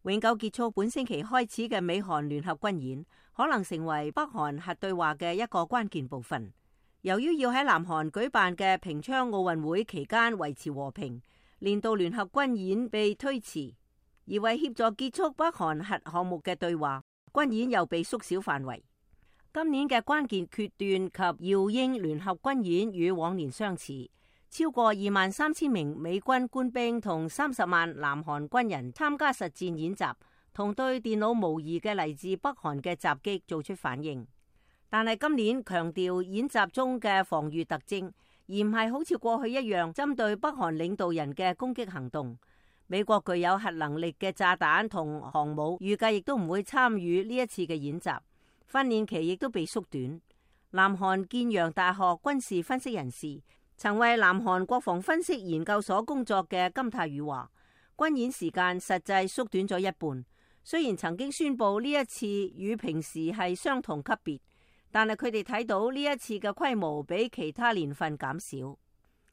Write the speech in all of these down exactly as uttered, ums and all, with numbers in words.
永久結束本星期開始嘅美韓聯合軍演，可能成為北韓核對話嘅一個關鍵部分。由於要喺南韓舉辦嘅平昌奧運會期間維持和平，令到聯合軍演被推遲，而為協助結束北韓核項目嘅對話，軍演又被縮小範圍。今年嘅關鍵決斷及耀英聯合軍演與往年相似。超過二萬三千名美軍官兵同三十萬南韓軍人參加實戰演習，同對電腦模擬嘅嚟自北韓嘅襲擊做出反應。但係今年強調演習中嘅防禦特徵，而唔係好似過去一樣針對北韓領導人嘅攻擊行動。美國具有核能力嘅炸彈同航母預計亦都唔會參與呢一次嘅演習，訓練期亦都被縮短。南韓建陽大學軍事分析人士，曾為南韓國防分析研究所工作嘅金泰宇話，軍演時間實際縮短咗一半。雖然曾經宣布呢一次與平時係相同級別，但係佢哋睇到呢一次嘅規模比其他年份減少。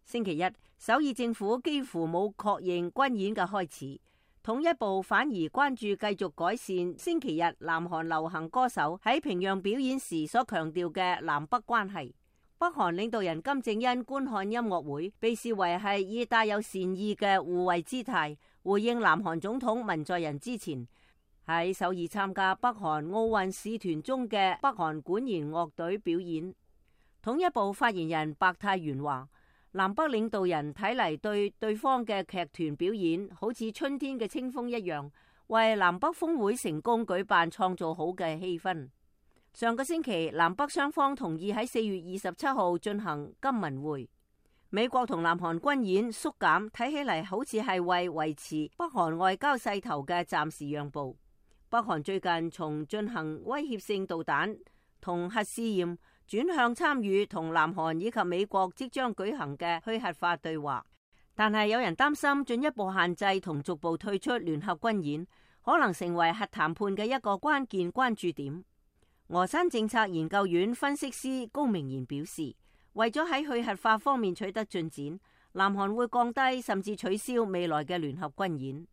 星期一，首爾政府幾乎冇確認軍演嘅開始，統一部反而關注繼續改善星期日南韓流行歌手喺平壤表演時所強調嘅南北關係。北韓領導人金正恩觀看音樂會，被視為係以帶有善意嘅護衛姿態回應南韓總統文在寅之前喺首爾參加北韓奧運使團中嘅北韓管弦樂隊表演。統一部發言人白泰元話，南北領導人睇嚟對對方嘅劇團表演好似春天嘅清風一樣，為南北峰會成功舉辦創造好嘅氣氛。上個星期，南北雙方同意喺四月二十七號進行金文會。美國同南韓軍演縮減，睇起嚟好似係為維持北韓外交勢頭嘅暫時讓步。北韓最近從進行威脅性導彈同核試驗，轉向參與同南韓以及美國即將舉行嘅去核化對話。但係有人擔心進一步限制同逐步退出聯合軍演，可能成為核談判嘅一個關鍵關注點。峨山政策研究院分析師高明賢表示，為咗喺去核化方面取得進展，南韓會降低甚至取消未來嘅聯合軍演。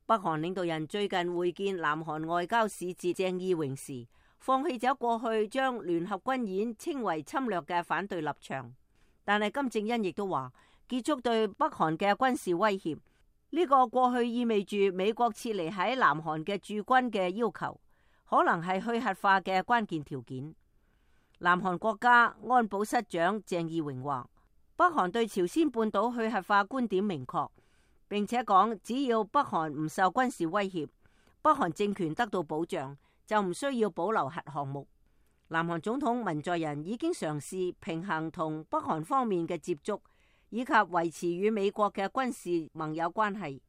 北韓領導人最近會見南韓外交使節鄭義榮時，放棄咗過去將聯合軍演稱為侵略嘅反對立場，但係金正恩亦都話結束對北韓嘅軍事威脅，呢個過去意味住美國撤離喺南韓嘅駐軍嘅要求，可能係去核化嘅關鍵條件。南韓國家安保室長鄭義榮話，北韓對朝鮮半島去核化觀點明確，並且講只要北韓唔受軍事威脅，北韓政權得到保障，就唔需要保留核項目。南韓總統文在寅已經嘗試平衡同北韓方面嘅接觸，以及維持與美國嘅軍事盟友關係，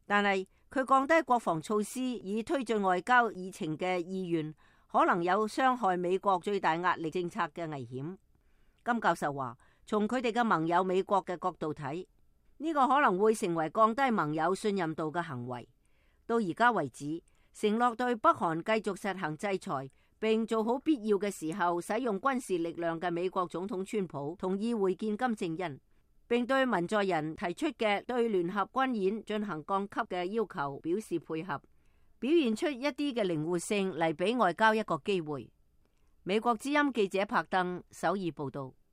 但係佢降低國防措施以推進外交議程嘅意願，可能有傷害美國最大壓力政策嘅危險。金教授話，從佢哋嘅盟友美國嘅角度睇，呢個可能會成為降低盟友信任度嘅行為。到而家為止，承諾對北韓繼續實行制裁，並做好必要嘅時候使用軍事力量嘅美國總統川普同意會見金正恩，並對文在寅提出嘅對聯合軍演進行降級嘅要求表示配合，表現出一啲嘅靈活性嚟俾外交一個機會。美國之音記者柏登首爾報道。